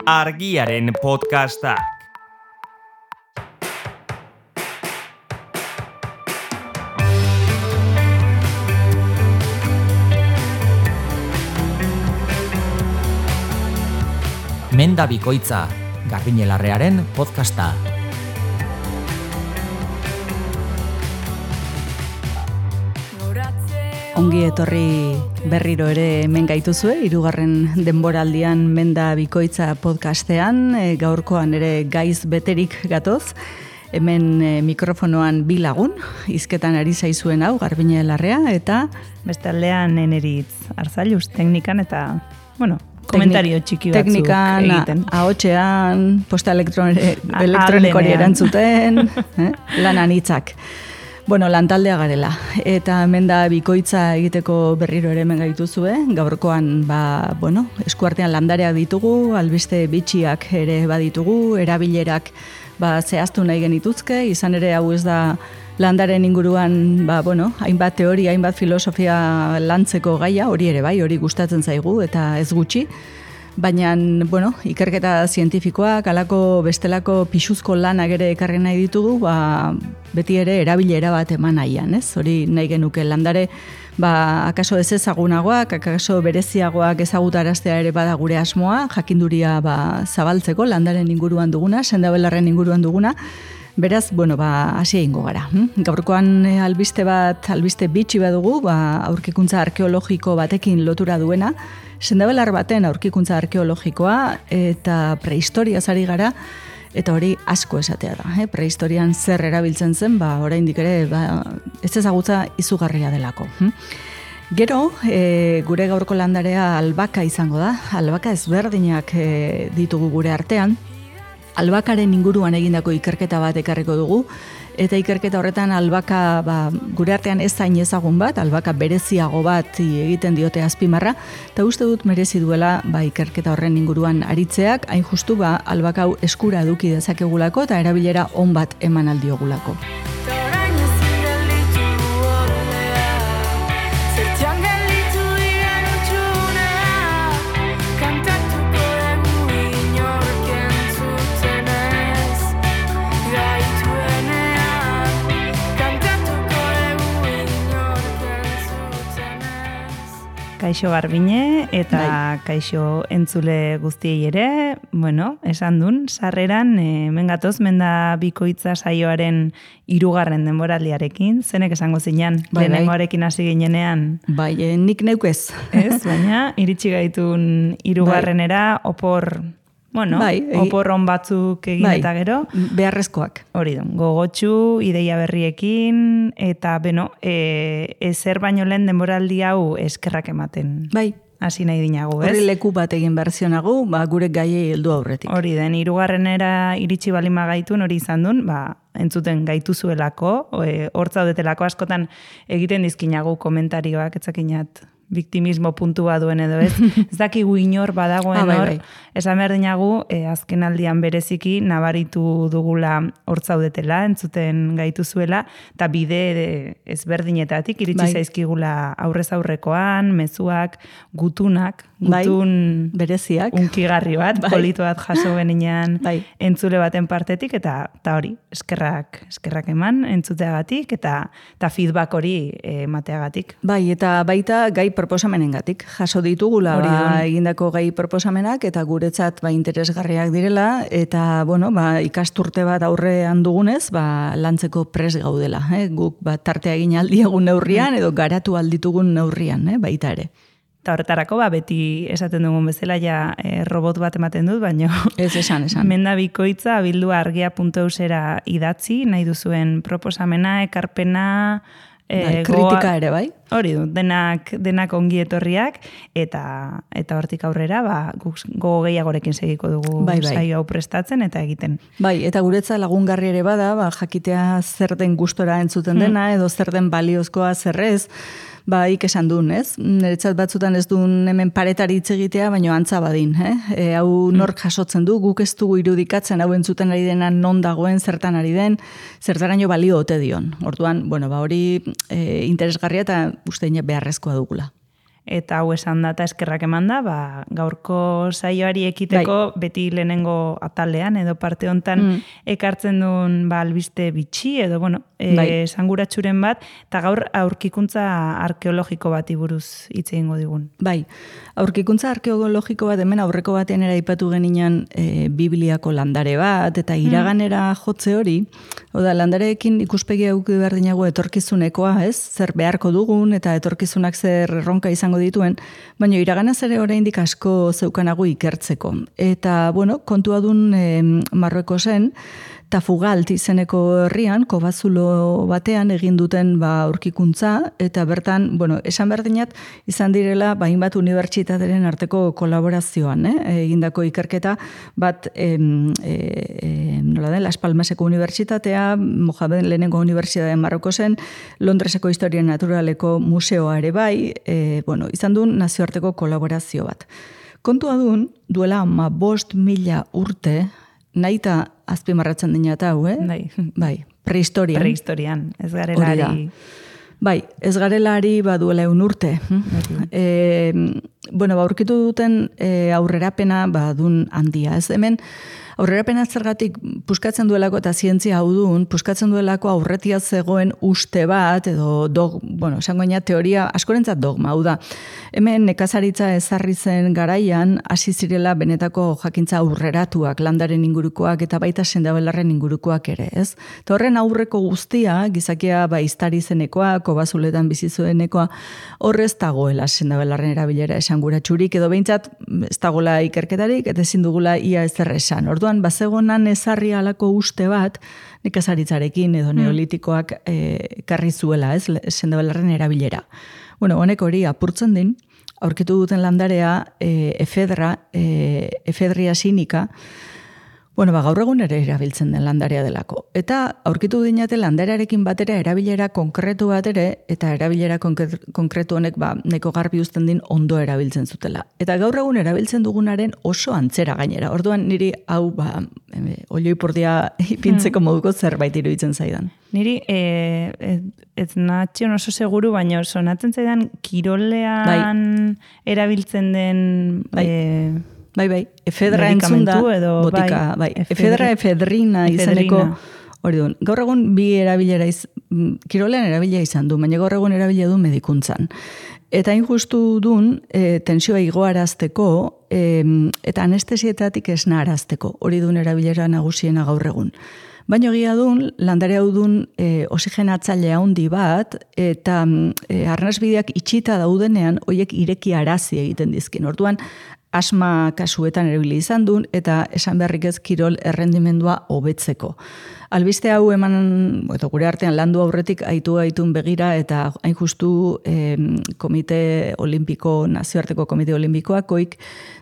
Argiaren podcastak. Menda Bikoitza, Garbiñelarrearen podcasta. Ongi etorri berriro ere hemen gaituzue, 3. denboraldian Menda Bikoitza podcastean, gaurkoan ere gaiz beterik gatoz. Hemen mikrofonoan 2 lagun, hizketan ari zaizuen hau, Garbiñelarrea, eta bestaldean Eneritz Arzalluz, teknikan eta, komentario txiki batzuk teknikan, egiten. Ahotsean, posta elektronikoari erantzuten, lanan hitzak. Lantaldea garela, eta hemen da bikoitza egiteko berriro ere hemen gaituzue, gaurkoan, eskuartean landareak ditugu, albiste bitxiak ere baditugu, erabilerak zehaztu nahi genituzke, izan ere hau ez da landaren inguruan, hainbat teoria, hainbat filosofia lantzeko gaia, hori ere bai, hori gustatzen zaigu, eta ez gutxi, baina, ikerketa zientifikoak, alako bestelako pixuzko lanak ere ekarri nahi ditugu, beti ere erabilera bat eman nahian, ez? Hori nahi genuke landare, akaso ez ezagunagoak, akaso bereziagoak ezagutaraztea ere bada gure asmoa, jakinduria zabaltzeko landaren inguruan duguna, sendabelarren inguruan duguna, beraz, hasi egingo gara. Gaurkoan albiste bitxi badugu, aurkikuntza arkeologiko batekin lotura duena, sendabelar baten aurkikuntza arkeologikoa eta prehistoriaz ari gara, eta hori asko esatea da. Prehistorian zer erabiltzen zen, oraindik ere ez ezagutza izugarria delako. Gero, gure gaurko landarea albaka izango da, albaka ezberdinak ditugu gure artean, albakaren inguruan egindako ikerketa bat ekarriko dugu, eta ikerketa horretan albaka gure artean ez zain ezagun bat, albaka bereziago bat egiten diote azpimarra, eta uste dut merezi duela ikerketa horren inguruan aritzeak, hain justu albaka hau eskura eduki dezakegulako eta erabilera on bat eman aldiogulako. Kaixo Garbiñe eta kaixo entzule guztiei ere, esan dun, sarreran hemen gatoz Menda Bikoitza saioaren 3. denboraldiarekin, zenek esango zinan, lehenengoarekin hasi ginenean. Nik neukez. Ez, baina iritsi gaitun 3. opor oporron batzuk egin eta gero. Beharrezkoak. Hori du, gogotsu, ideia berriekin, eta ezer baino lehen denboraldi hau eskerrak ematen. Hasi nahi dinagu, ez? Horri leku bat egin berzionagu, gure gaiei heldu aurretik. Hori den, 3. iritsi balima gaitun, hori izan duen, entzuten gaituzuelako, hortzaudetelako askotan egiten dizkinagu komentarioak, etzakinat biktimismo puntua duen edo ez. Ez dakigu inor badagoen hor. Esan behar dinagu, azken aldian bereziki nabaritu dugula hortzaudetela, entzuten gaituzuela, eta bide ezberdinetatik iritsi zaizkigula aurrez aurrekoan, mezuak, gutun bereziak, unkigarri bat, politu bat jaso beninan entzule baten partetik, eta hori, eskerrak eman entzuteagatik, eta feedback hori emateagatik. Eta baita gai proposamenengatik jaso ditugula egindako gai proposamenak, eta guretzat interesgarriak direla, eta ikasturte bat aurrean dugunez, lantzeko pres gaudela. Guk tartea egin aldiegun neurrian, edo garatu alditugun neurrian, baita ere. Eta horretarako, beti esaten dugun bezala, robot bat ematen dut, baina ez esan. Menda Bikoitza abildua argia.eusera idatzi, nahi duzuen proposamena, ekarpena, kritika ere, bai? Hori du, denak ongi etorriak, eta hortik aurrera, gogo gehiagorekin segiko dugu saio hau prestatzen eta egiten. Eta guretza lagungarri ere bada, jakitea zer den gustora entzuten dena, edo zer den baliozkoa zerrez, ik esan duen, ez? Niretzat batzutan ez duen hemen paretari hitz egitea, baina antza badin, hau nork jasotzen du, guk ez dugu irudikatzen, hau entzuten ari dena non dagoen, zertan ari den, zertaraino balio ote dion. Orduan, hori interesgarria eta uste beharrezkoa dugula. eta hau esan da eta eskerrak eman da, gaurko saioari ekiteko beti lehenengo atalean edo parte hontan ekartzen duen albiste bitxi edo esanguratsuren bat, eta gaur aurkikuntza arkeologiko bati buruz hitz egingo digun. Bai, aurkikuntza arkeologiko bat hemen aurreko batean aipatu genian Bibliako landare bat, eta iraganera jotze hori, oda landareekin ikuspegi auki behar dinago etorkizunekoa, ez? Zer beharko dugun eta etorkizunak zer erronka izango dituen, baina iraganaz ere oraindik asko zeukanago ikertzeko. Eta, kontua dun Marruekosen, Tafugalt izeneko herrian, Kobazulo batean egin duten aurkikuntza, eta bertan, esan behar dinat, izan direla, hainbat unibertsitateren arteko kolaborazioan, egindako ikerketa bat, Las Palmaseko unibertsitatea, Mohamed lehenengo unibertsitatea Marruekosen, Londreseko historia naturaleko museoa ere bai, izan duen nazioarteko kolaborazio bat. Kontua duen, duela 5.000 urte, nahita azpimarratzen dina eta hau, Bai, prehistorian. Prehistorian, ez garelari. Bai, ez garelari duela 1 urte. Aurkitu duten aurrerapena dun handia. Ez hemen, aurrerapena zergatik puskatzen duelako eta zientzia hau duen, puskatzen duelako aurretia zegoen uste bat, edo esango ina teoria, askorentzat dogma, hau da. Hemen nekazaritza ezarri zen garaian, hasi zirela benetako jakintza aurreratuak, landaren ingurukoak eta baita sendabelarren ingurukoak ere, ez? Eta horren aurreko guztia, gizakia iztari zenekoa, Kobazuletan bizizuenekoa, horrez dagoela sendabelarren erabilera esanguratsurik, edo behintzat ez dagoela ikerketarik, eta ezin dugula ia ezer esan. Orduan, bazegonan ezarri alako uste bat, nekazaritzarekin edo neolitikoak karri zuela, ez, sendabelarren erabilera. Honek hori apurtzen din, aurkitu duten landarea efedria sinika, gaur egun ere erabiltzen den landarea delako. Eta aurkitu dinate landarearekin batera erabilera konkretu bat ere, eta erabilera konkretu honek neko garbi uzten din ondo erabiltzen zutela. Eta gaur egun erabiltzen dugunaren oso antzera gainera. Orduan niri hau olioipurdia ipintzeko moduko zerbait iruditzen zaidan. Niri, ez natxion oso seguru, baina sonatzen zaidan kirolean erabiltzen den... Bai, efedra entzun da, botika, efedrina izeneko, hori duen. Gaur egun bi erabilera, kirolean erabilera izan du, baina gaur egun erabilera du medikuntzan. Eta injustu duen, tensioa igoarazteko, eta anestesietatik esnarazteko, hori duen erabilera nagusiena gaur egun. Baina egia duen, landare hau duen oxigenatzaile handi bat, eta arnasbideak itxita daudenean, horiek ireki arazi egiten dizkin. Orduan, asma kasuetan erabili izan duen, eta esan beharrik ez kirol errendimendua hobetzeko. Albiste hau eman, gure artean landu aurretik aitun begira, eta hain justu komite olimpiko, nazioarteko komite olimpikoak oik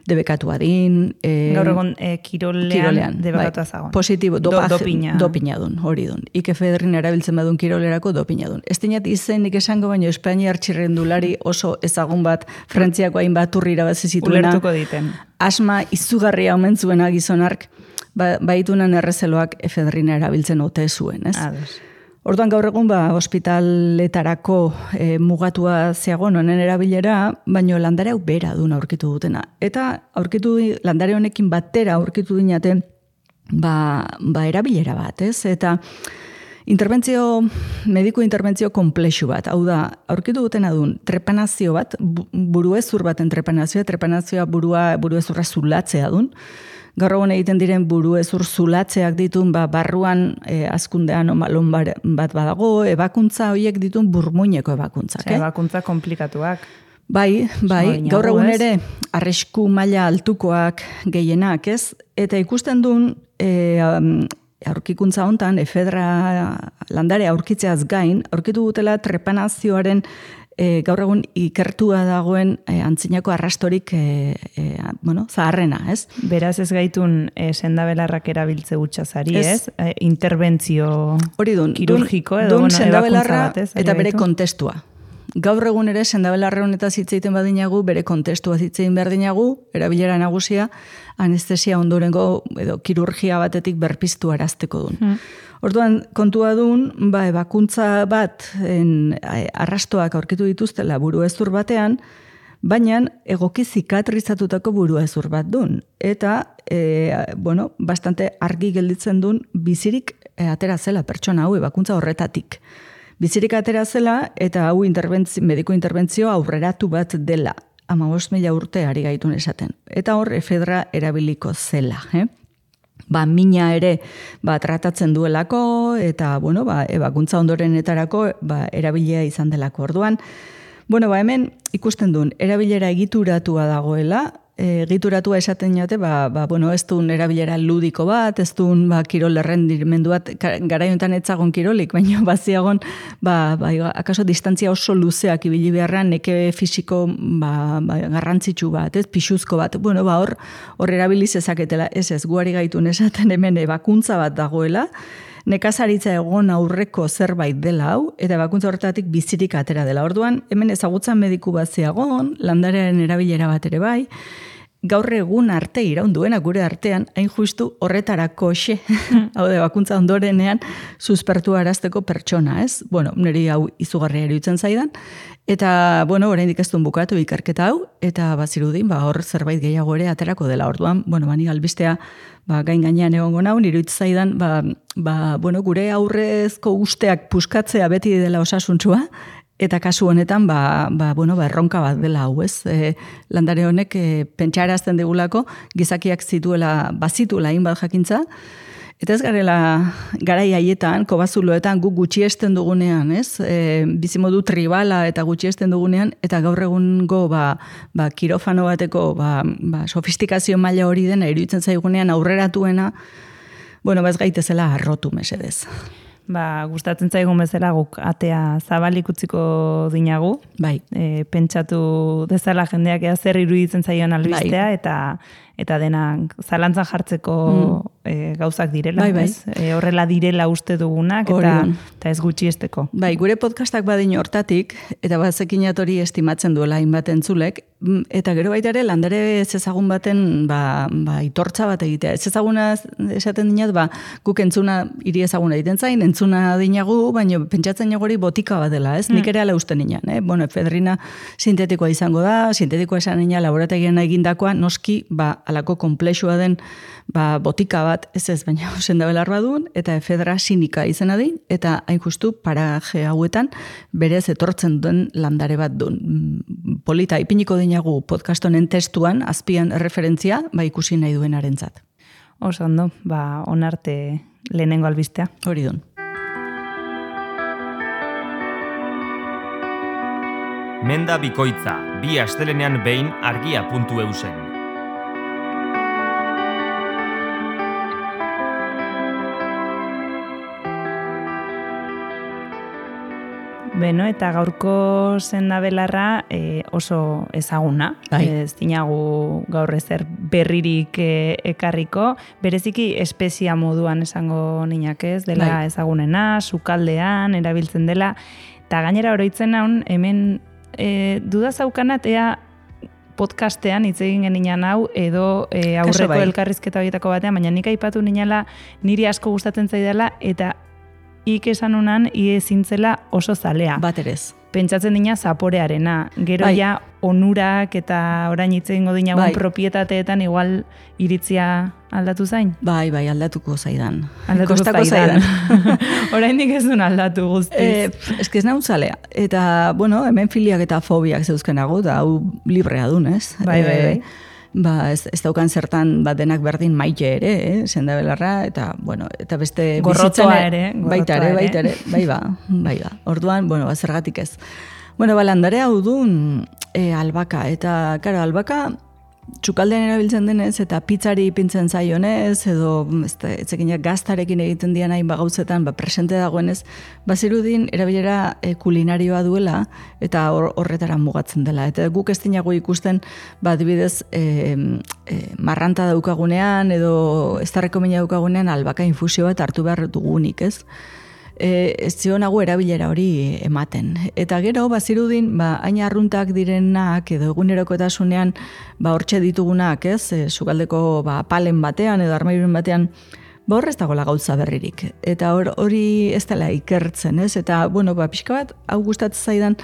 debekatu adin. Gaur egon kirolean debekatu azagon. Positibo, dopina dun, hori dun. Ikefedrin erabiltzen badun kirolerako dopina dun. Ez dinat izenik esango, baino Espainiar txirrendulari oso ezagun bat, Frantziako hainbat turri irabazi zituena. Ulertuko diten. Asma izugarria omen zuena gizonark, baitunan errezeloak efedrina erabiltzen ote zuen, ez? Orduan gaur egun ospitaletarako mugatua zeagon honen erabilera, baino landare hau bera duna aurkitu dutena. Eta landare honekin batera aurkitu dinate erabilera bat, ez? Eta mediku interbentzio komplexu bat, hau da, aurkitu dutena duen trepanazio bat, buruezur baten trepanazioa buruezurra zulatzea duen, gaur egun egiten diren buruezur zulatzeak ditun, barruan azkundean omalon bat badago, ebakuntza horiek ditun burmuineko ebakuntzak. Ebakuntza komplikatuak. Bai, gaur egun ere arrisku maila altukoak gehienak, ez? Eta ikusten duen aurkikuntza hontan, efedra landare aurkitzeaz gain, aurkitu dutela trepanazioaren gaur egun ikertua dagoen antzinako arrastorik zaharrena, ez? Beraz ez gaitun sendabelarrak erabiltze utxazari, ez? Interbentzio kirurgiko edo sendabelarra eta bere kontestua. Gaur egun ere sendabelarra honetaz hitz egiten badinagu, bere kontestua hitz egin behar dinagu, erabilera nagusia, anestesia ondorengo edo kirurgia batetik berpiztu arazteko duen. Orduan, kontua duen, ebakuntza bat arrastoak aurkitu dituztela buruezur batean, baina egoki zikatrizatutako burua ezur bat dun. Eta, bastante argi gelditzen dun bizirik atera zela pertsona hau ebakuntza horretatik. Bizirik atera zela eta hau mediko interbentzio aurreratu bat dela. 15.000 urte ari gaitun esaten. Eta hor efedra erabiliko zela. Mina ere tratatzen duelako eta ebakuntza ondorenetarako erabilia izan delako. Orduan, hemen ikusten duen, erabilera egituratua dagoela, egituratua esaten jate, ez duen erabilera ludiko bat, ez duen kirol errendimendu bat, garaiontan etzagon kirolik, baina baziagon, akaso distantzia oso luzeak ibili beharran, neke fisiko garrantzitsu bat, pixuzko bat, hor erabiliz ezaketela, ez guari gaitun esaten hemen ebakuntza bat dagoela, nekazaritza egon aurreko zerbait dela hau, eta ebakuntza horretatik bizirik atera dela. Orduan, hemen ezagutzan mediku bat ziagon, landarearen erabilera bat ere bai, gaur egun arte iraunduena gure artean, hain justu horretarako hau da, ebakuntza ondorenean suspertu arazteko pertsona, ez? Niri hau izugarria iruditzen zaidan, eta, oraindik ez duen bukatu ikerketa hau, eta bazirudin, hor zerbait gehiago ere aterako dela. Orduan, bani albistea, gain gainean egongo nau, iruditzen zaidan, gure aurrezko usteak puskatzea beti dela osasuntsua, eta kasu honetan, erronka bat dela hau, ez? Landare honek pentsarazten digulako, gizakiak bazituela hainbat jakintza, eta ez garela garai haietan, kobazuloetan guk gutxiesten dugunean, ez? Bizimodu tribala eta gutxiesten dugunean, eta gaur egungo kirofano bateko sofistikazio maila hori dena iruditzen zaigunean aurreratuena, ez gaitezela arrotu mesedez. Gustatzen zaigun bezala guk atea zabalik utziko dinagu. Bai. Pentsatu dezala jendeak zer iruditzen zaion albistea, eta denak zalantzan jartzeko gauzak direla. Bai. Horrela direla uste dugunak, eta ez gutxiesteko. Gure podcastak badin hortatik, eta bazekinat hori estimatzen duela hainbat entzulek, eta gero baita ere landare ez ezagun baten itortza bat egitea. Ez ezaguna esaten dinat, guk entzuna hiri ezaguna egiten zain, entzuna dinagu, baina pentsatzen hori botika bat dela, ez? Nik ere ala usten nian, efedrina sintetikoa izango da, sintetikoa esan nina laborategian egindakoa, noski, alako komplexua den botika bat, ez, baina senda belar badun, eta efedra sinika izena din, eta hain justu paraje hauetan berez etortzen duen landare bat duen. Polita, ipiniko dinagu podcast honen testuan, azpian referentzia, ikusi nahi duenarentzat. Oso ondo, onarte lehenengo albistea. Hori dun. Menda bikoitza, 2 astelenean behin argia.eusen. Eta gaurko sendabelarra oso ezaguna. Ez dinagu gaur ezer berririk ekarriko. Bereziki espezia moduan esango ninak ez, dela ezagunena, sukaldean, erabiltzen dela. Eta gainera oroitzen naun, hemen duda zaukanat, ea podcastean hitz egin geninan hau, edo aurreko elkarrizketa horietako batean, baina nik aipatu ninala niri asko gustatzen zaidala, eta esan unan, ezintzela oso zalea. Baterez. Pentsatzen dina zaporearena. Gero ja onurak eta orain hitz egingo dinagun propietateetan igual iritzia aldatu zain? Bai, aldatuko zaidan. Kostako zaidan. Oraindik ez duen aldatu guztiz. Ez naun zalea. Eta, hemen filiak eta fobiak zeuzkenago, da hau librea dun, ez? Bai. Ez daukan zertan denak berdin maite ere, sendabelarra, eta beste gorrotoa ere. Baita ere, bai ba. Orduan, zergatik ez. Landare hau dun albaka, eta, karo, albaka txukaldean erabiltzen denez, eta pizzari ipintzen zaionez, edo etzekinak gaztarekin egiten dian hain gauzetan, presente dagoenez, bazirudin erabilera kulinarioa duela, eta horretara mugatzen dela. Eta guk ez dinago ikusten, adibidez, marranta daukagunean, edo eztarreko mina daukagunean, albaka infusio bat hartu behar dugunik, ez? Ez zionago erabilera hori ematen. Eta gero, bazirudin, hain arruntak direnak, edo egunerokotasunean, hortxe ditugunak, ez? Sukaldeko palen batean, edo armairuren batean, horrez dagoela gauza berririk. Eta hori ez dela ikertzen, ez? Eta, pixka bat, hau gustatzen zaidan,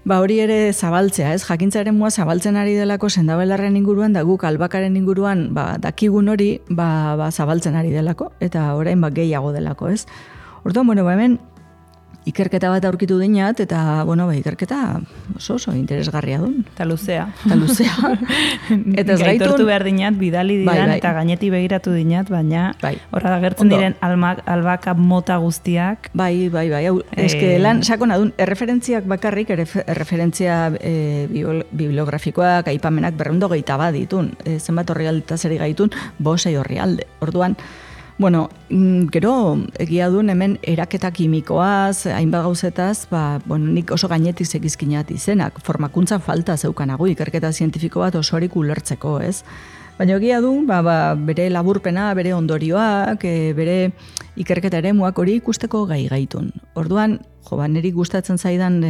Ba hori ere zabaltzea, ez? Jakintzaren mua zabaltzen ari delako sendabelarren inguruan, da guk albakaren inguruan dakigun hori zabaltzen ari delako, eta orain gehiago delako, ez? Orduan, bueno, hemen ikerketa bat aurkitu dinat, eta, bueno, ikerketa oso interesgarria duen. Eta luzea. Eta ez gaitortu behar dinat, bidali didan, eta gaineti begiratu dinat, baina horra agertzen diren albaka mota guztiak. Bai. Eske lan sakona duen, erreferentziak bakarrik, erreferentzia bibliografikoak, aipamenak 221 bat ditun, zenbat orrialde zeri gaitun, 5 orrialde. Orduan, bueno, gero egia duen hemen eraketa kimikoaz, hainbat gauzetaz, nik oso gainetik zekizkinat izenak, formakuntza falta zeukanago, ikerketa zientifiko bat osorik ulertzeko, ez? Baina egia du, bere laburpena, bere ondorioak, bere ikerketa eremuak hori ikusteko gaitun. Orduan, niri gustatzen zaidan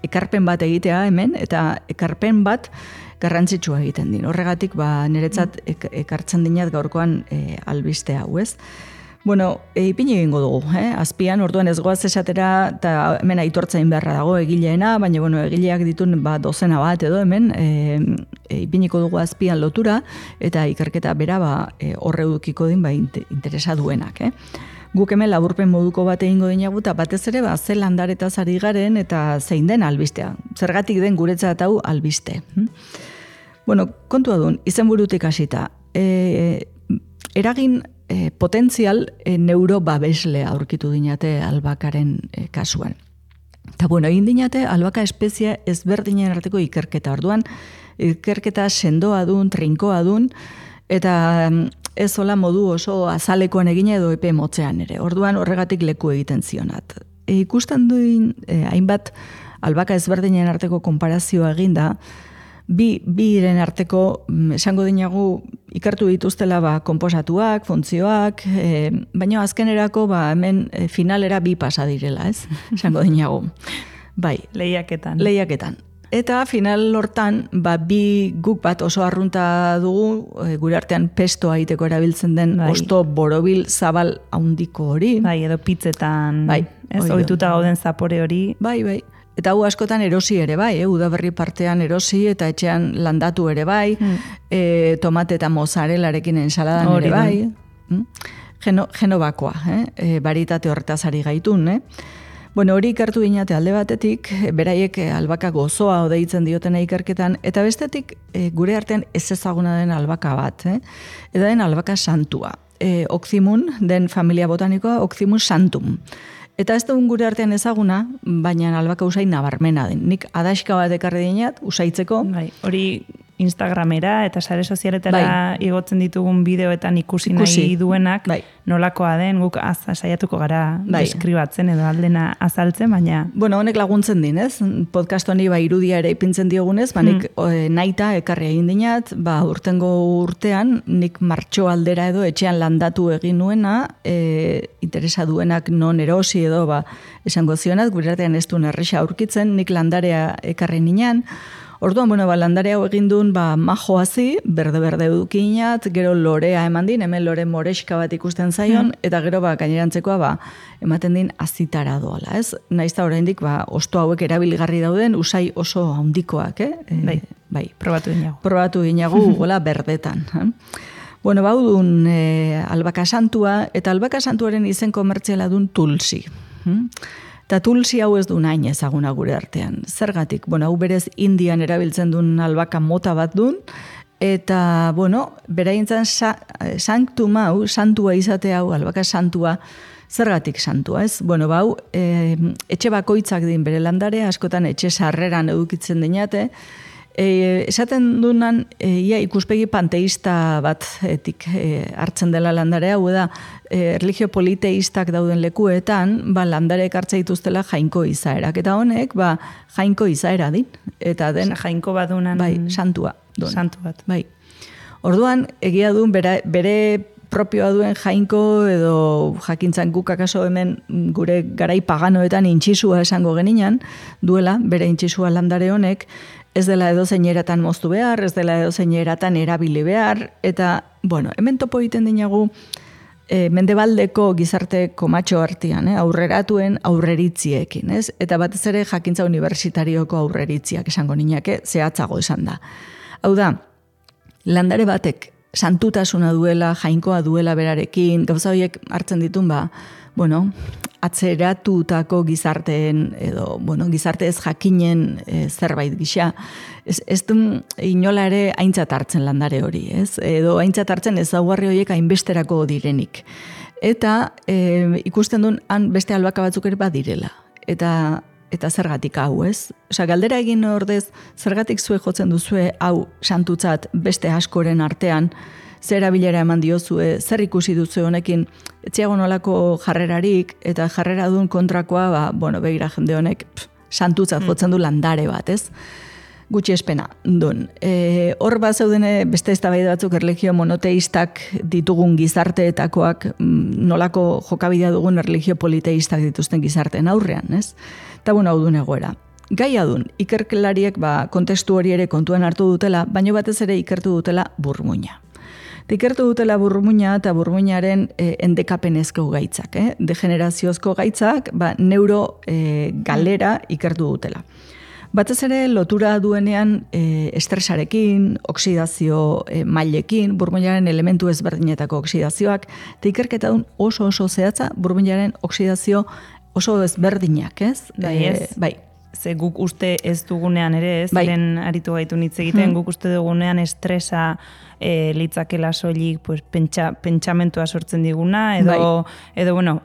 ekarpen bat egitea hemen, eta ekarpen bat garrantzitsua egiten din. Horregatik, niretzat ekartzen dinat gaurkoan albiste hau, ez? Bueno, ipini egingo dugu, azpian, orduan ez goaz esatera, eta hemen aitortzain beharra dago egileena, baina, bueno, egileak ditun dozena bat edo hemen, ipiniko dugu azpian lotura, eta ikerketa bera horre dukiko din interesa duenak, Guk hemen laburpen moduko bat egingo dinagu, eta batez ere, ze landaretaz ari garen, eta zein den albistea. Zergatik den guretzat hau albiste. Bueno, kontua duen, izenburutik hasita. Eragin potentzial neurobabeslea aurkitu dinate albakaren kasuan. Eta bueno, egin dinate albaka espezie ezberdinen arteko ikerketa. Orduan, ikerketa sendoa dun, trinkoa dun, eta ez hola modu oso azalekoan egina edo epe motzean ere. Orduan horregatik leku egiten zionat. Ikusten duen hainbat albaka ezberdinen arteko konparazioa eginda, biren arteko esango dinagu ikertu dituztela konposatuak, funtzioak, baina azkenerako hemen finalera 2 pasa direla, ez? Esango dinagu. Bai. Lehiaketan. Eta final hortan, guk bat oso arrunta dugu, gure artean pestoa egiteko erabiltzen den osto borobil zabal handiko hori. Bai, edo pitzetan, ez ohituta gauden zapore hori. Bai. Eta hau askotan erosi ere bai, udaberri partean erosi eta etxean landatu ere bai, tomate eta mozzarelarekin ensaladan ere bai. Genovakoa, baritate horretaz ari gaitun, Bueno, hori ikertu dinate alde batetik, beraiek albaka gozoa odeitzen diotena ikerketan, eta bestetik gure artean ez ezaguna den albaka bat, eta den albaka santua. Oximun, den familia botanikoa, Oximun santum. Eta ez dugun gure artean ezaguna, baina albaka usain nabarmena den. Nik adaxka bat ekarri dinat, usaitzeko. Hori Instagramera eta sare sozialetara igotzen ditugun bideoetan ikusi nahi duenak, nolakoa den, guk saiatuko gara deskribatzen edo aldena azaltzen, baina... Bueno, honek laguntzen din, ez? Podcast honi irudia ere ipintzen diogunez, nik naita ekarri egin dinat, urtengo urtean, nik martxo aldera edo etxean landatu egin nuena, interesa duenak non erosi edo, esango zionat, gure artean ez duen erresa aurkitzen, nik landarea ekarri ninean. Orduan, landare hau egin duen majoazi, berde edukinat, gero lorea eman din, hemen lore moreska bat ikusten zaion, eta gero gainerantzekoa ematen din azitara doala, ez? Naizta oraindik osto hauek erabilgarri dauden, usai oso handikoak, Bai, probatu dinagu. Probatu dinagu, hola, berdetan. Bueno, duen albaka santua, eta albaka santuaren izen komertziala duen tulsi. Eta tulsi hau ez du nahin ezaguna gure artean. Zergatik, hau berez Indian erabiltzen duen albaka mota bat duen, eta, beraintzan sanctum hau, santua izate hau, albaka santua, zergatik santua, ez? Etxe bakoitzak din bere landare, askotan etxe sarreran edukitzen dinate, esaten dunan, ikuspegi panteista bat hartzen dela landare hau, da, erlijio politeistak dauden lekuetan, landareek hartza dituztela jainko izaerak. Eta honek, jainko izaera din. Eta den... Jainko bat dunan... santua. Santu bat. Orduan, egia duen bere propioa duen jainko edo jakintzan guk akaso hemen gure garai paganoetan intxisua esango geninan, duela, bere intxisua landare honek, ez dela edo zeineratan moztu behar, ez dela edo zeineratan erabili behar, eta, hemen topo egiten dinagu mendebaldeko gizarte komatxo artean, aurreratuen aurreritziekin, ez? Eta batez ere jakintza unibertsitarioko aurreritziak esango niñake, zehatzago esan da. Hau da, landare batek santutasuna duela, jainkoa duela berarekin, gauza horiek hartzen ditun, atzeratutako gizarteen edo, gizarte ez jakinen zerbait gisa. Ez du inola ere aintzat hartzen landare hori, ez? Edo aintzat hartzen ezaugarri horiek hainbesterako direnik. Eta ikusten duen han beste albaka batzuk ere badirela. Eta zergatik hau, ez? Galdera egin ordez, zergatik zue jotzen duzue hau santutzat beste askoren artean, zer erabilera eman diozue, zer ikusi duzu honekin, etxeago nolako jarrerarik, eta jarrera duen kontrakoa, begira jende honek santutzat jotzen du landare bat, ez? Gutxi espena, duen. Hor bat zeudene beste eztabaida batzuk erlijio monoteistak ditugun gizarteetakoak, nolako jokabidea dugun erlijio politeistak dituzten gizarteen aurrean, ez? Eta hau duen egoera. Gai adun, ikerkelariek kontestu hori ere kontuan hartu dutela, baino batez ere ikertu dutela burmuina. Ikertu dutela burmuina eta burmuinaren endekapenezko gaitzak, degeneraziozko gaitzak, neuro galera ikertu dutela. Batez ere lotura duenean estresarekin, oksidazio mailekin, burmuinaren elementu ezberdinetako oksidazioak, eta ikerketa duen oso zehatza burmuinaren oksidazio oso ezberdinak, ez? Bai. Ze guk uste ez dugunean ere, ez? Ziren aritu gaitu hitz egiten, guk uste dugunean estresa litzakela soilik pentsamentua sortzen diguna, edo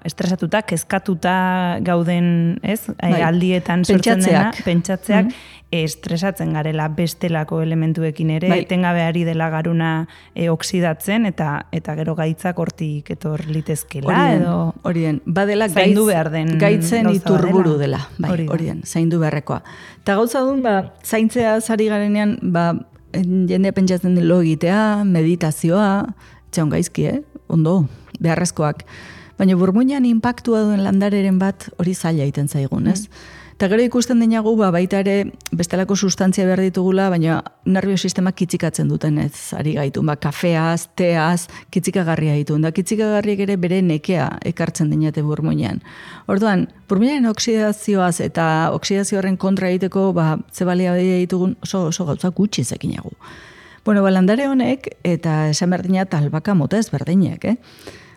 estresatuta, kezkatuta gauden, ez? Aldietan sortzen dena, pentsatzeak, estresatzen garela bestelako elementuekin ere, etengabe ari dela garuna oksidatzen, eta gero gaitzak hortik etor litezkela, edo... Horien, badela zaindu behar den gaitzen iturburu dela, horien, zaindu beharrekoa. Eta gauza duen, zaintzea zari garenean, jendea pentsatzen lo egitea, meditazioa, txaun gaizki, ondo, beharrezkoak. Baina burmuinan inpaktua duen landareren bat hori zaila egiten zaigun, ez? Eta gero ikusten dinagu, baita ere bestelako sustantzia behar ditugula, baina nerviosistema kitzikatzen duten ez ari gaitu. Kafeaz, teaz, kitzikagarria ditu. Da kitzikagarriek ere bere nekea ekartzen dinate burmuinean. Orduan, burmuinaren oksidazioaz eta oksidazioaren kontra egiteko, ze balia ditugun oso gauza gutxi zekinagu. Landare honek, eta esan berdina albaka mota ez berdinak,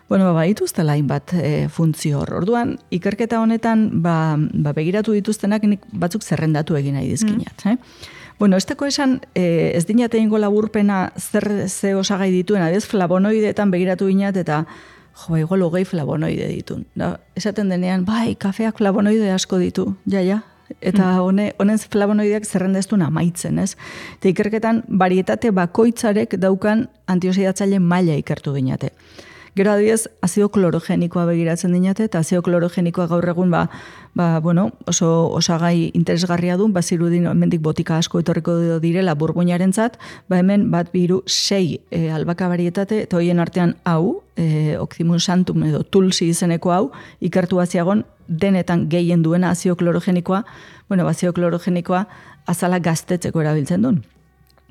dituztela hainbat funtzio hor. Orduan, ikerketa honetan, begiratu dituztenak nik batzuk zerrendatu egin nahi dizkinat. Esteko esan, ez dinate ingo laburpena ze osagai dituen, adez flavonoideetan begiratu ginat, eta igual 20 flavonoide ditun. Esaten denean, kafeak flavonoide asko ditu, eta honen flavonoideak zerrendeztun amaitzen, ez? Eta ikerketan, barietate bakoitzarek daukan antioxidatzaile maila ikertu ginate. Gero adibidez, azido klorogenikoa begiratzen dinate, eta azido klorogenikoa gaur egun oso osagai interesgarria du, bazirudin hemendik botika asko etorriko direla burmuinarentzat, hemen 6 albaka barietate, eta hoien artean hau, Ocimum santum edo tulsi izeneko hau, ikertu baziagon denetan gehien duena azido klorogenikoa, azido klorogenikoa azala gaztetzeko erabiltzen duen.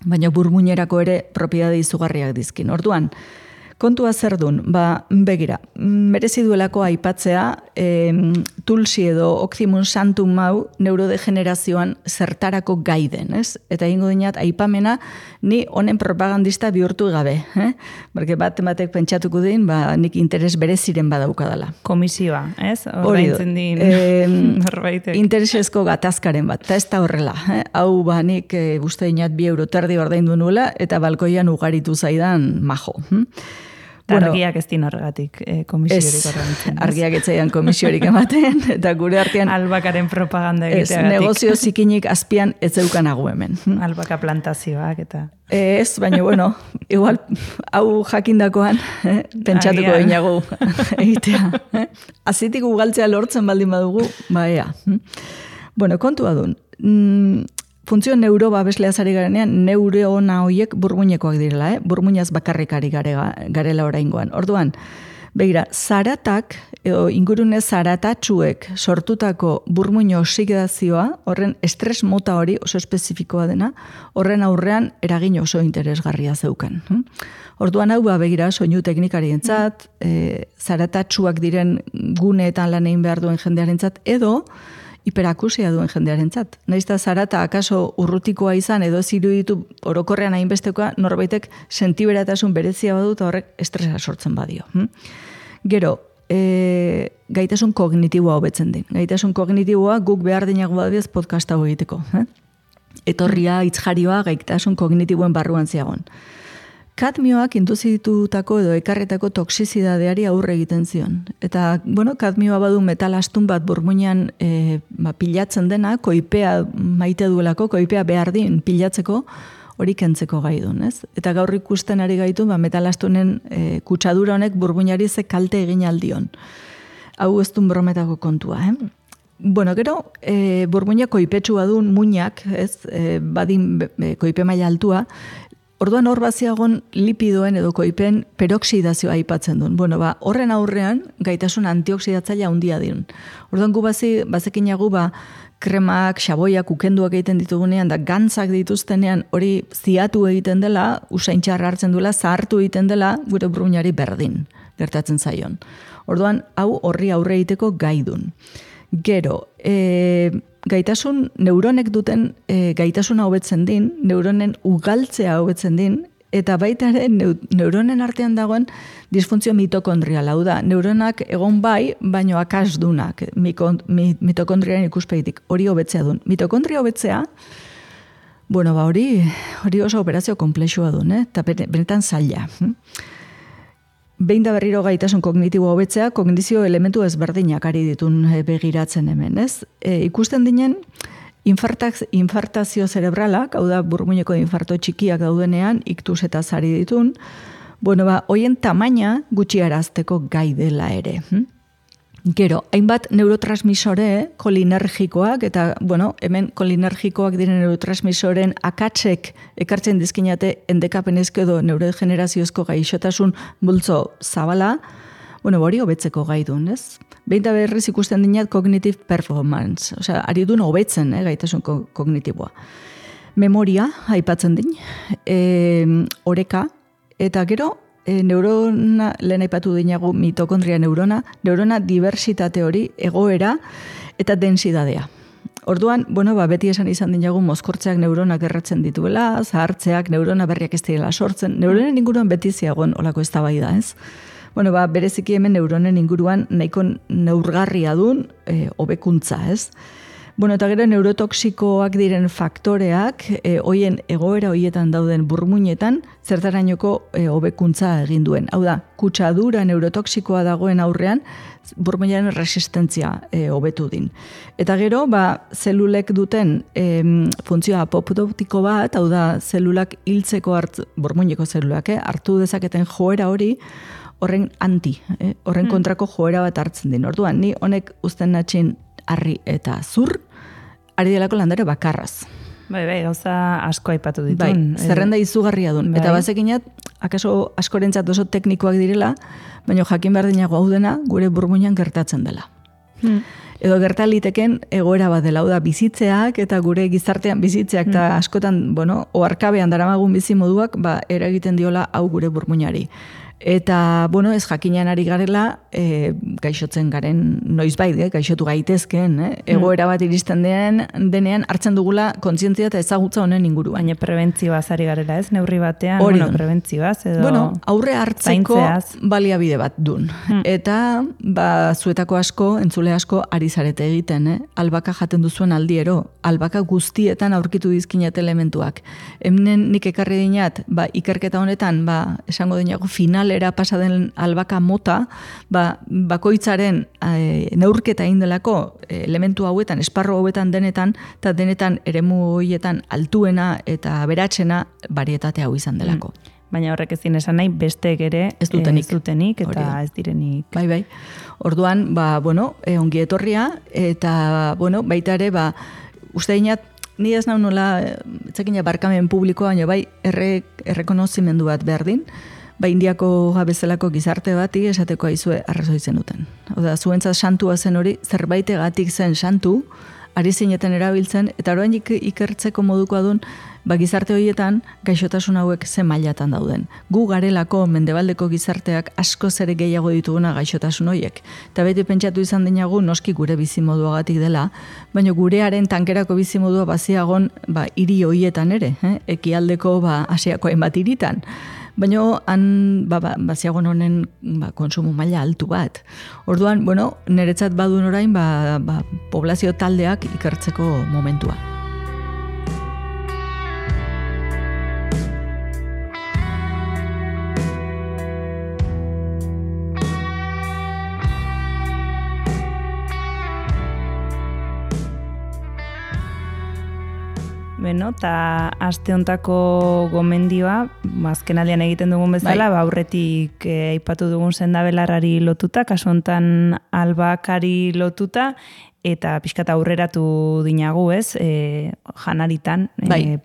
Baina burmuinerako ere propiedade izugarriak dizkin. Orduan, kontua zer duen, begira, merezi duelako aipatzea tulsi edo Ocimum santum hau neurodegenerazioan zertarako gaiden, ez? Eta ingo dinat, aipamena ni honen propagandista bihurtu gabe, Porque batek pentsatuko din, nik interes bereziren badaukadala. Komisioa, ez? Ordaintzen din norbaitek. Interesezko gatazkaren bat, eta ez da horrela. Hau nik uste dinat 2 euro terdi ordaindu nuela, eta balkoian ugaritu zaidan majo. Argiak ez din horregatik komisiorik ordaintzen. Argiak etzaidan komisiorik ematen, eta gure artean... Albakaren propaganda egiteagatik. Negozio zikinik azpian ez zeukanago hemen. Albaka plantazioak eta... Ez, baina, igual, hau jakindakoan, pentsatuko dinagu egitea. Azitik ugaltzea lortzen baldin badugu, ea. Kontua duen. Funtzio neurobabeslea zari garenean, neurona horiek burmuinekoak direla, burmuinaz bakarrik ari garela oraingoan. Orduan, Begira, zaratak, edo ingurune zaratatsuek sortutako burmuino oksidazioa, horren estres mota hori oso espezifikoa dena, horren aurrean eragin oso interesgarria zeukan. Orduan hau begira, soinu teknikarientzat, zaratatsuak diren guneetan lan egin behar duen jendearentzat, edo hiperakusia duen jendearentzat. Naizta zarata akaso urrutikoa izan edo ziruditu orokorrean hainbestekoa norbaitek sentiberatasun berezia badu eta horrek estresa sortzen badio. Gero, gaitasun kognitiboa hobetzen din. Gaitasun kognitiboa guk behar dinago badiez podcast hau egiteko. Etorria, itzjarioa, gaitasun kognitiboen barruan ziagon. Kadmioak induzitutako edo ekarretako toksizidadeari aurre egiten zion. Eta, kadmioa badu metal astun bat burmuinean pilatzen dena, koipea maite duelako, koipea behar din pilatzeko, hori kentzeko gai duen, ez? Eta gaur ikusten ari gaitu, metal astunen kutsadura honek burmuinari ze kalte egin aldion. Hau ez duen brometako kontua, Gero, burmuina koipetsua duen muinak, ez? Badin koipe maila altua, orduan hor baziagon lipidoen edo koipen peroksidazioa aipatzen duen. Horren aurrean gaitasun antioksidatzailea handia dien. Orduan gu bazekinagu kremak, xaboiak, ukenduak egiten ditugunean, da gantzak dituztenean hori ziatu egiten dela, usaintxarra hartzen duela, zahartu egiten dela, gure burmuinari berdin gertatzen zaion. Orduan hau horri aurre egiteko gai dun. Gero, gaitasun, neuronek duten gaitasuna hobetzen din, neuronen ugaltzea hobetzen din, eta baita ere neuronen artean dagoen disfuntzio mitokondriala, hau da, neuronak egon bai, baino akasdunak, mitokondriaren ikuspegitik, hori hobetzea duen. Mitokondria hobetzea, hori oso operazio komplexua duen, eta benetan zaila. Behin da berriro gaitasun kognitibo hobetzea, kognizio elementu ezberdinak ari ditun begiratzen hemen, ez? Ikusten dinen, infartazio zerebralak, hau da burmuineko infarto txikiak daudenean, iktus eta zari ditun, hoien tamaina gutxiarazteko gai dela ere. Gero, hainbat neurotransmisore kolinergikoak, eta, hemen kolinergikoak diren neurotransmisoren akatsek ekartzen dizkinate endekapenezko edo neurodegeneraziozko gaixotasun bultzo zabala, hori hobetzeko gai duen, ez? Behin da berriz ikusten dinat cognitive performance, ari duen hobetzen, gaitasun kognitiboa. Memoria, aipatzen din, oreka, eta gero, neurona, lehen aipatu dinagu mitokondria neurona diversitate hori, egoera eta densidadea. Orduan, beti esan izan dinagu mozkortzeak neuronak erratzen dituela, zahartzeak neurona berriak ez direla sortzen, neuronen inguruan beti ziagon olako eztabaida, ez? Bereziki hemen neuronen inguruan nahiko neurgarria duen hobekuntza, ez? Eta gero neurotoksikoak diren faktoreak, hoien egoera hoietan dauden burmuinetan, zertarainoko hobekuntza egin duen. Hau da, kutsadura neurotoksikoa dagoen aurrean, burmuinaren resistentzia hobetu din. Eta gero, zelulek duten funtzioa apoptotiko bat, hau da, zelulak hiltzeko burmuineko zelulak, hartu dezaketen joera hori, horren horren kontrako joera bat hartzen din. Orduan, ni honek uzten natxin harri eta zur, ari delako landare bakarraz. Gauza asko aipatu ditun. Zerrenda izugarria duen. Eta bazekinat, akaso askorentzat oso teknikoak direla, baina jakin behar dinago hau dena, gure burmuinan gertatzen dela. Edo gertaliteken egoera bat dela, hau da bizitzeak eta gure gizartean bizitzeak eta askotan, oarkabean daramagun bizi moduak, eragiten diola hau gure burmuinari. Eta, ez jakinean ari garela, gaixotzen garen noizbait, gaixotu gaitezken, egoera bat iristen denean hartzen dugula kontzientzia eta ezagutza honen inguruan. Baina prebentzioaz ari garela, ez? Neurri batean, prebentzioaz edo aurre hartzeko baliabide bat dun. Eta, zuetako asko, entzule asko, ari zarete egiten, albaka jaten duzuen aldiero, albaka guztietan aurkitu dizkinat elementuak. Hemen nik ekarri dinat, ikerketa honetan, esango dinago finalera pasaden albaka mota, bakoitzaren neurketa indelako elementu hauetan, esparro hauetan denetan, eta denetan eremu horietan altuena eta beratxena barietate hau izan delako. Baina horrek ezin esan nahi, besteek ere ez dutenik eta ez direnik. Bai. Orduan, ongi etorria, eta, baita ere, uste dinat, ni ez nau nola, etzakina barkamen publikoa, baina errekonozimendu bat behar din, Indiako bezalako gizarte bati esateko aizue arrazoi zenuten. Oda, zuentzat santua zen hori, zerbaitegatik zen santu, ari zineten erabiltzen, eta orain ikertzeko modukoa duen, gizarte horietan gaixotasun hauek ze mailatan dauden. Gu garelako mendebaldeko gizarteak asko zere gehiago dituguna gaixotasun horiek. Eta beti pentsatu izan dinagu noski gure bizimoduagatik dela, baina gurearen tankerako bizimodua baziagon hiri horietan ere, ekialdeko Asiako hainbat hiritan. Baina han baziagon honen konsumo maila altu bat. Orduan, niretzat badun orain poblazio taldeak ikertzeko momentua. Eta aste hontako gomendioa, azkenaldian egiten dugun bezala, aurretik aipatu dugun sendabelarrari lotuta, kasu hontan albakari lotuta, eta pixkat aurreratu dinagu, ez? Janaritan,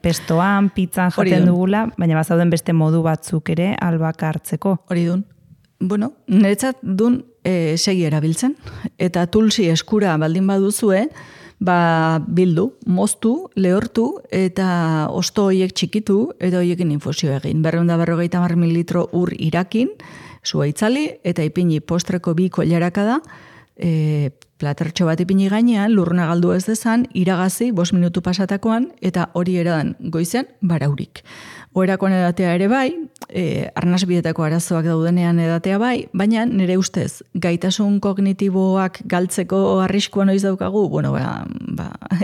pestoan, pizzan jaten dugula, baina bazauden beste modu batzuk ere albaka hartzeko. Hori dun. Niretzat dun segi erabiltzen, eta tulsi eskura baldin baduzue, bildu, moztu, lehortu, eta osto horiek txikitu, eta horiekin infusio egin. 250 mililitro ur irakin, sua itzali, eta ipini postreko 2 koilaraka da, platertxo bat ipini gainean, lurruna galdu ez dezan, iragazi, 5 minutu pasatakoan, eta hori eradan goizen, baraurik. Oerakoan edatea ere bai, arnasbietako arazoak daudenean edatea bai, baina nire ustez, gaitasun kognitiboak galtzeko arriskuan noiz daukagu,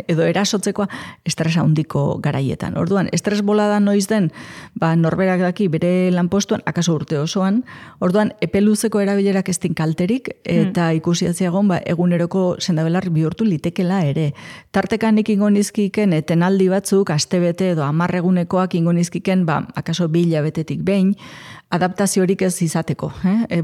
edo erasotzekoa estresa handiko garaietan. Orduan, estres bolada noiz den, norberak daki bere lanpostuan, akaso urte osoan, orduan, epeluzeko erabilerak ez din kalterik, eta ikusiatziagon, eguneroko sendabelar bihurtu litekela ere. Tartekan ingo nizkiken, etenaldi batzuk, astebete edo 10 egunekoak ingo nizkiken, akaso 2 hilabetetik behin, adaptaziorik ez izateko.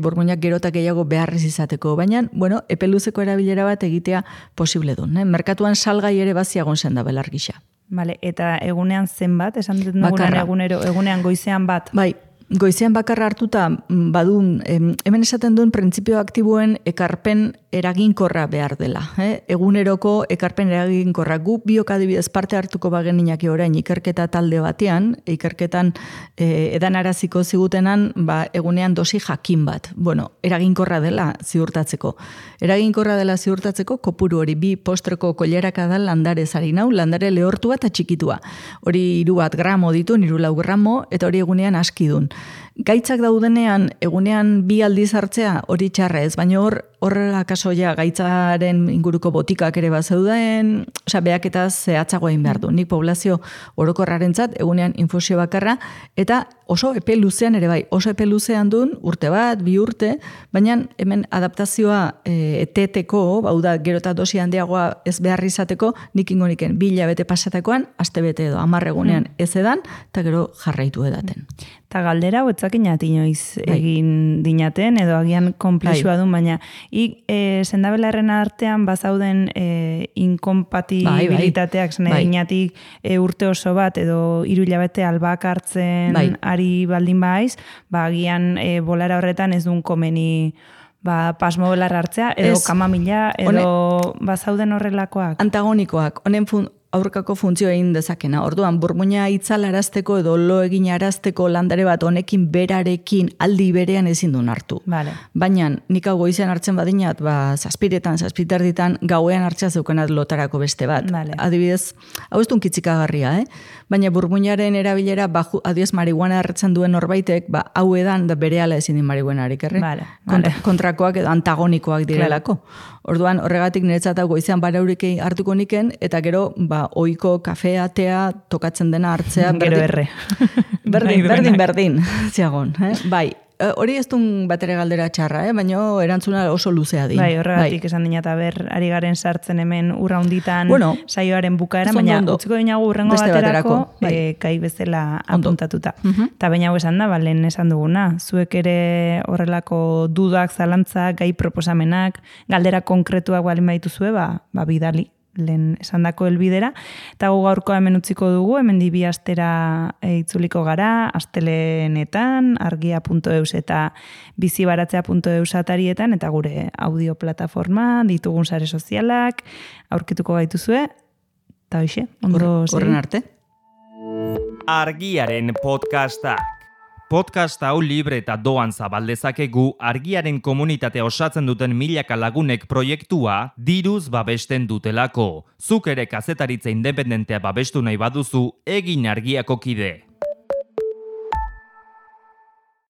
Burmuinak gerotak gehiago beharrez izateko. Baina, epeluzeko erabilera bat egitea posible duen. Merkatuan salgai ere baziagon sendabelar gisa. Vale, eta egunean zenbat, esan dut dugunean egunean goizean bat? Bai, goizean bakarra hartuta badun, hemen esaten duen printzipio aktiboen ekarpen eraginkorra behar dela. Eguneroko ekarpen eraginkorra. Gu biok adibidez parte hartuko bageninak orain ikerketa talde batean, ikerketan edanaraziko zigutenan egunean dosi jakin bat. Eraginkorra dela ziurtatzeko. Eraginkorra dela ziurtatzeko kopuru hori 2 postreko koileraka da landare zarinau, landare lehortua eta txikitua. Hori 3 gramo ditu, 3 gramo, eta hori egunean askidun. Gaitzak daudenean, egunean 2 aldiz hartzea hori txarra ez, baina horrela kasoia gaitzaren inguruko botikak ere bat zeuden, beak eta zehatzago egin behar du. Nik poblazio orokorrarentzat egunean infusio bakarra, eta oso epe luzean ere bai, oso epe luzean duen, urte bat, 2 urte, baina hemen adaptazioa eteteko, gero eta dosi handiagoa ez behar izateko, nik ingo niken 2 hilabete pasatakoan, astebete edo 10 egunean ez edan, eta gero jarraitu edaten. Eta galdera, etzakinat inoiz egin dinaten, edo agian konplexua duen, baina sendabelarren artean bazauden inkompatibilitateak, inatik urte oso bat, edo 3 hilabete albak hartzen ari baldin baiz, agian bolara horretan ez duen komeni pasmo belar hartzea, edo kamamila, edo bazauden horrelakoak. Antagonikoak, honen aurkako funtzio egin dezakena. Orduan, burmuina itzalarazteko edo lo egin arazteko landare bat honekin berarekin aldi berean ezin duen hartu. Vale. Baina, nik hau goizean hartzen badinat, 7:00 gauean hartzea zeukenat lotarako beste bat. Vale. Adibidez, hau ez duen kitzikagarria, baina burmuinaren erabilera, adibidez marihuana hartzen duen norbaitek, hau edan da berehala ezin din marihuanarik, Vale. Kontrakoak edo antagonikoak direlako. Orduan, horregatik niretzat hau goizean baraurik hartuko niken, eta gero, oiko kafea, tea, tokatzen dena hartzea. Gero erre. Berdin, ziagon. Bai, hori ez duen batere galdera txarra, baina erantzuna oso luzea di. Bai, horregatik esan dinat, ari garen sartzen hemen urra hunditan saioaren bukaeran, baina utziko dinagu urrengo baterako, kai bezala apuntatuta. Eta baina hau esan da, lehen esan duguna, zuek ere horrelako dudak, zalantzak, gai proposamenak, galdera konkretuak balin baitu zue, bidali. lehen esandako helbidera, eta gu gaurkoa hemen utziko dugu, hemen bi astera itzuliko gara, astelenetan, argia.eus eta bizibaratzea.eus atarietan, eta gure audio plataforma, ditugun sare sozialak, aurkituko gaituzue, eta hoxe, ondo segi. Horren arte. Argiaren podcastak. Podcast hau libre eta doan zabaldezakegu Argiaren komunitatea osatzen duten milaka lagunek proiektua diruz babesten dutelako. Zuk ere kazetaritza independentea babestu nahi baduzu, egin Argiako kide.